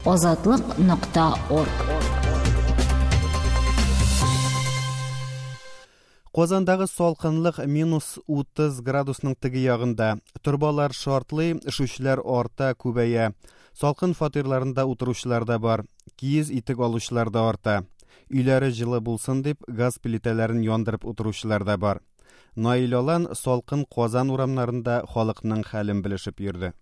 Азатлык нокта орг. Казандагы салкынлык минус 30 градусның теге ягында. Торбалар шартлый, өшүчеләр арта, күбәя. Салкын фатирларында утыручылар да бар. Киез итек алучылар да арта. Өйләре җылы булсын дип, газ плитәләрен яндырып утыручылар да бар. Наил Алан салкын Казан урамнарында халыкның хәлен белешеп йөрде.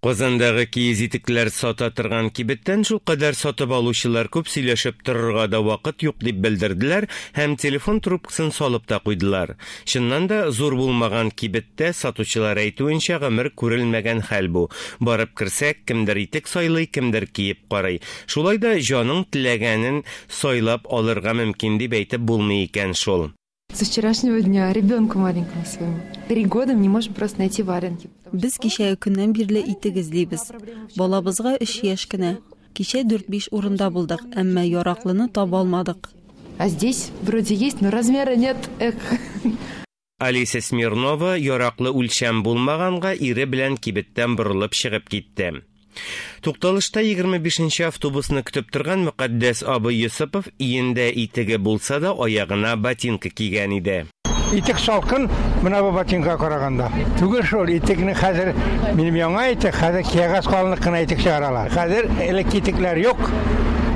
Казандагы киез итекләр сата торган кибеттән шулкадәр сатып алучылар күп, сөйләшеп торырга да вакыт юк дип белдерделәр һәм телефон трубкасын салып та куйдылар. Чыннан да, зур булмаган кибеттә, сатучылар әйтүенчә, гомер күрелмәгән хәл бу. Барып керсәк, кемдер итек сайлый, кемдер киеп карый. Шулай да җаның теләгәнен сайлап алырга мөмкин дип әйтеп булмый икән шул. Со вчерашнего дня ребенку маленькому своему. Три года не можем просто найти валенки. Без кичәге көннән бирле итек эзлибез. Балабызга өч яшь кенә. Кичә дүрт-биш урында булдык, әмма яраклыны таба алмадык. А здесь вроде есть, но размера нет. Эх. Алиса Смирнова яраклы үлчәм булмаганга ире белән кибеттән борылып чыгып китте. Тукталышта 25 нче автобусны көтеп торган Мөкатдәс абый Йосыпов иендә итеге булса да, аягына ботинка кигән иде. Итек салкын, менә бу ботинкага караганда. Түгел шул, итекне хәзер, минем яңа итек, хәзер кәгазь калынлык кына итек чыгаралар. Хәзер элекке итекләр юк,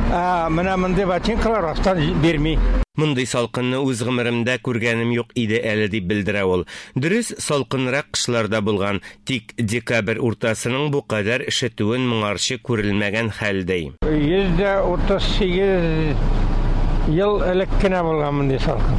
ә менә мондый ботинкалар астан бирми. Мондый салкынны үз гомеремдә күргәнем юк иде әле, дип белдерә ул. Дөрес, салкынрак кышлар да булган, Тик декабрь уртасының бу кадәр өшетүен моңарчы күрелмәгән хәл, ди. 138 ел элек кенә булган мондый салкын.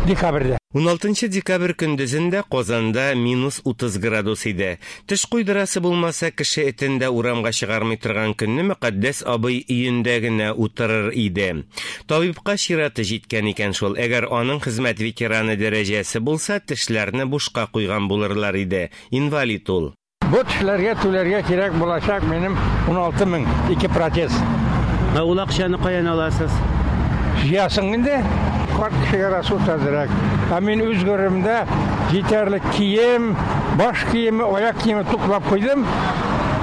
Декабрьдә. Уналтынчы декабрь көндезен дә Казанда минус 30 градус иде. Теш куйдырасы булмаса, кеше этен дә урамга чыгармый торган көнне Мөкатдәс абый өендә генә утырыр иде. Табибка чираты җиткән икән шул, әгәр аның хезмәт ветераны дәрәҗәсе булса, тешләрне бушка куйган булырлар иде. Инвалид ул. Бу тешләргә түләргә кирәк булачак минем 16 мең, ике протез. Ә ул акчаны каян аласыз? Җыясың инде. Карт кешегә расход әзрәк. Ә мин үз гомеремдә җитәрлек кием, баш киеме, аяк киеме туплап куйдым.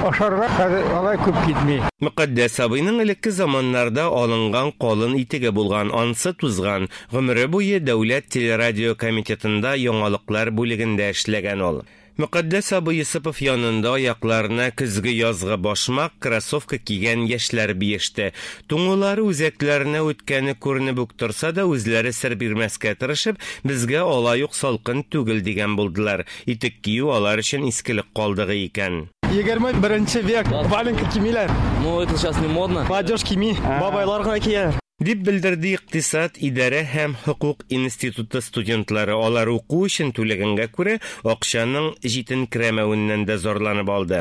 Ашарга хәзер алай күп китми. Мөкатдәс абыйның элекке заманнарда алынган калын итеге булган, ансы тузган. Гомере буе Дәүләт телерадиокомитетында яңалыклар бүлегендә эшләгән ул. Мөкатдәс абый Йосыпов янында аякларына көзге-язгы башмак, кроссовка кигән яшьләр биеште. Туңулары үзәкләренә үткәне күренеп үк торса да, үзләре сер бирмәскә тырышып, безгә алай ук салкын түгел дигән булдылар. Итек кию алар өчен искелек калдыгы икән. 21 век, валенка кимиләр. Ну, это сейчас не модно. Молодежь кими, бабайлар гына кияләр. Дип белдерде Икътисад, идарә һәм хокук институты студентлары. Алар уку өчен түләгәнгә күрә, акчаның җитенкерәмәвеннән дә зарланып алды.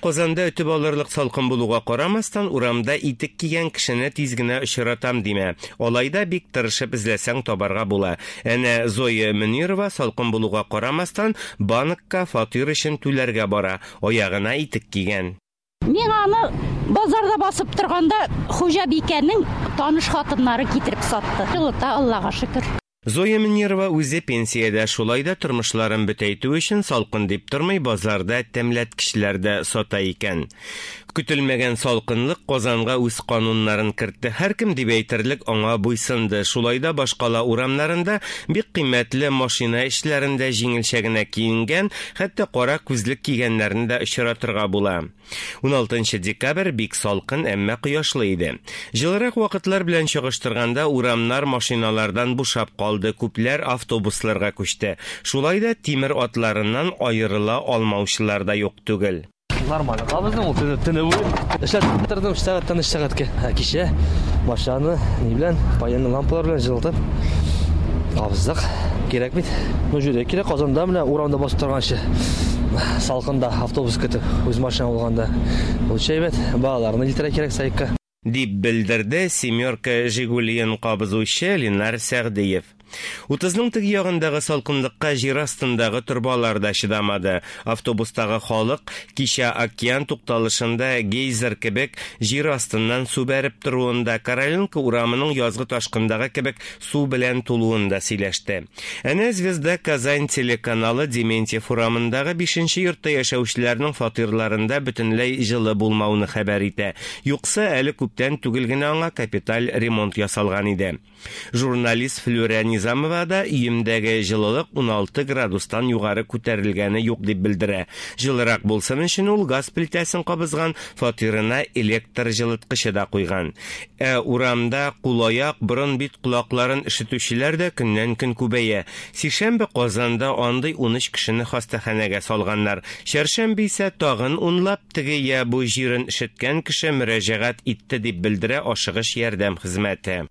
Казанда өтеп алырлык салкын булуга карамастан, урамда итек кигән кешене тиз генә очратам димә. Алай да бик тырышып эзләсәң табарга була. Әнә Зоя Мөнирова салкын булуга карамастан, банкка фатир өчен түләргә бара, аягына итек кигән. Миңа аны базарда басып торганда хуҗабикәнең таныш хатыннары китереп сатты. Җылыта, Аллага шөкер. Зоя Мөнирова үзе пенсиядә, шулай да тормышларын бөтәйтү өчен салкын дип тормый, базарда тәмләткечләр дә сата икән. Көтелмәгән салкынлык Казанга үз кануннарын кертте. Һәркем дип әйтерлек аңа буйсынды. Шулай да башкала урамнарында бик кыйммәтле машина эчләрендә җиңелчә генә киенгән, хәтта кара күзлек кигәннәрне дә очратырга була. Уналтынчы декабрь бик салкын, әмма кояшлы иде. Җылырак вакытлар белән чагыштырганда, урамнар машиналардан бушап калды, күпләр автобусларга күчте. Шулай да тимер атларыннан аерыла алмаучылар да юк түгел. Нормально кабыздым ул төне, төне буе. Эшләп тордым 3 сәгатьтән 3 сәгатькә. Ә кичә машинаны ни белән, паенный лампалар белән җылытып кабыздык. Кирәк бит. Ну, җүле кирәк Казанда менә урамда басып торганчы салкында автобус көтеп, үз машина булганда. Лучше әйбәт, балаларны илтерә кирәк садикка. Дип белдерде Семерка Жигулиен кабызучы Ленар Сәгъдиев. Утызның теге ягындагы салкынлыкка җир астындагы торбалар да чыдамады. Автобустагы халык кичә океан тукталышында гейзер кебек җир астыннан су бәреп торуын да, Короленко урамының язгы ташкындагы кебек су белән тулуын да сөйләште. Әнә Звезда Казань телеканалы Дементьев урамындагы 5 йортта яшәүчеләрнең фатирларында бөтенләй җылы булмауны хәбәр итә. Юкса әле күптән түгел генә аңа капиталь ремонт ясалган иде. Журналист Флюрә Низамова да өемдәге җылылык 16 градустан югары күтәрелгәне юк дип белдерә. Җылырак булсын өчен ул газ плитәсен кабызган, фатирына электр җылыткычы да куйган. Ә урамда кул-аяк, борын, бит, колакларын өшетүчеләр дә көннән-көн күбәя. Сишәмбе Казанда андый 13 кешене хастаханәгә салганнар. Чәршәмбе исә тагын унлап теге я бу җирен өшеткән кеше мөрәҗәгать итте дип белдерә ашыгыч ярдәм хезмәте.